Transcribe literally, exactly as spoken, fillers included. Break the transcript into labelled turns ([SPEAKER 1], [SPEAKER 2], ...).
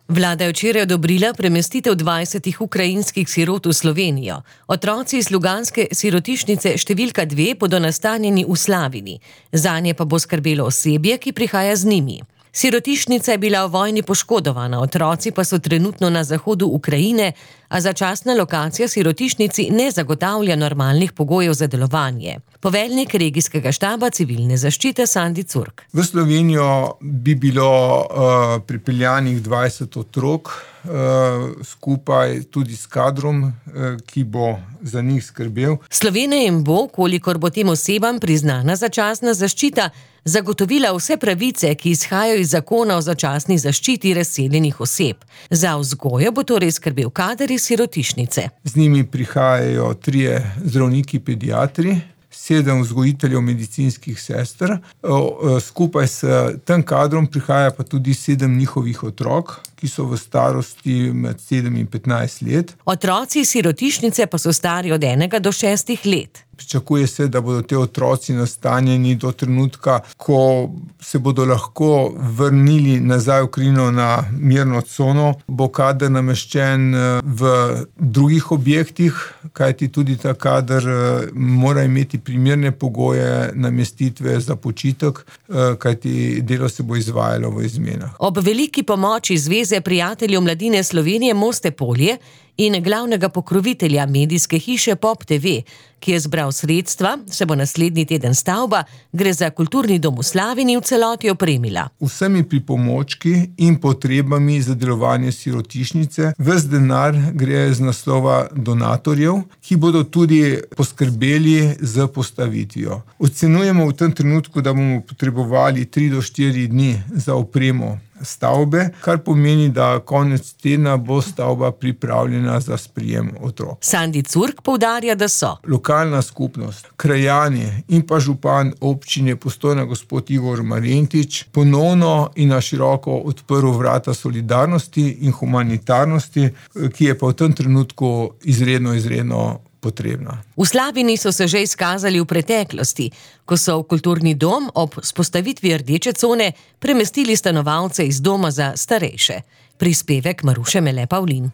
[SPEAKER 1] Vlada je včeraj odobrila premestitev dvajsetih ukrajinskih sirot v Slovenijo. Otroci iz ljubljanske sirotišnice številka dve bodo nastanjeni v Slavini. Zanje pa bo skrbelo osebje, ki prihaja z njimi. Sirotišnica je bila v vojni poškodovana, otroci pa so trenutno na zahodu Ukrajine, a začasna lokacija sirotišnici ne zagotavlja normalnih pogojev za delovanje. Poveljnik regijskega štaba civilne zaščite Sandi Curk.
[SPEAKER 2] V Slovenijo bi bilo uh, pripeljanih dvajset otrok, uh, skupaj tudi s kadrom, uh, ki bo za njih skrbel.
[SPEAKER 1] Slovenija jim bo, kolikor bo tem osebam priznana začasna zaščita, zagotovila vse pravice, ki izhajajo iz zakona o začasni zaščiti razseljenih oseb. Za vzgojo bo torej skrbel kader iz sirotišnice.
[SPEAKER 2] Z njimi prihajajo trije zdravniki pediatri, sedem vzgojiteljev medicinskih sester. Skupaj s tem kadrom prihaja pa tudi sedem njihovih otrok, ki so v starosti med sedem in petnajst let.
[SPEAKER 1] Otroci sirotišnice pa so stari od enega do šestih let.
[SPEAKER 2] Pričakuje se, da bodo te otroci nastanjeni do trenutka, ko se bodo lahko vrnili nazaj v Ukrajino na mirno cono. Bo kader nameščen v drugih objektih, kajti tudi ta kader mora imeti primerne pogoje namestitve za počitek, kajti delo se bo izvajalo v izmenah.
[SPEAKER 1] Ob veliki pomoči Zveze prijateljev mladine Slovenije Moste Polje in glavnega pokrovitelja medijske hiše Pop te ve, ki je zbral sredstva, se bo naslednji teden stavba, gre za kulturni dom v Slavini, v celoti opremila.
[SPEAKER 2] Vsemi pripomočki in potrebami za delovanje sirotišnice, ves denar gre z naslova donatorjev, ki bodo tudi poskrbeli z postavitvijo. Ocenujemo v tem trenutku, da bomo potrebovali tri do štiri dni za opremo stavbe, kar pomeni, da konec tedna bo stavba pripravljena za sprijem otrok.
[SPEAKER 1] Sandi Curk poudarja, da so
[SPEAKER 2] lokalna skupnost, krajani in pa župan občine Postojna gospod Igor Marjentič ponovno in na široko odprl vrata solidarnosti in humanitarnosti, ki je pa v tem trenutku izredno, izredno potrebna.
[SPEAKER 1] V Slavini so se že izkazali v preteklosti, ko so v kulturni dom ob vzpostavitvi rdeče cone premestili stanovalce iz doma za starejše. Prispevek Maruše Mele Pavlin.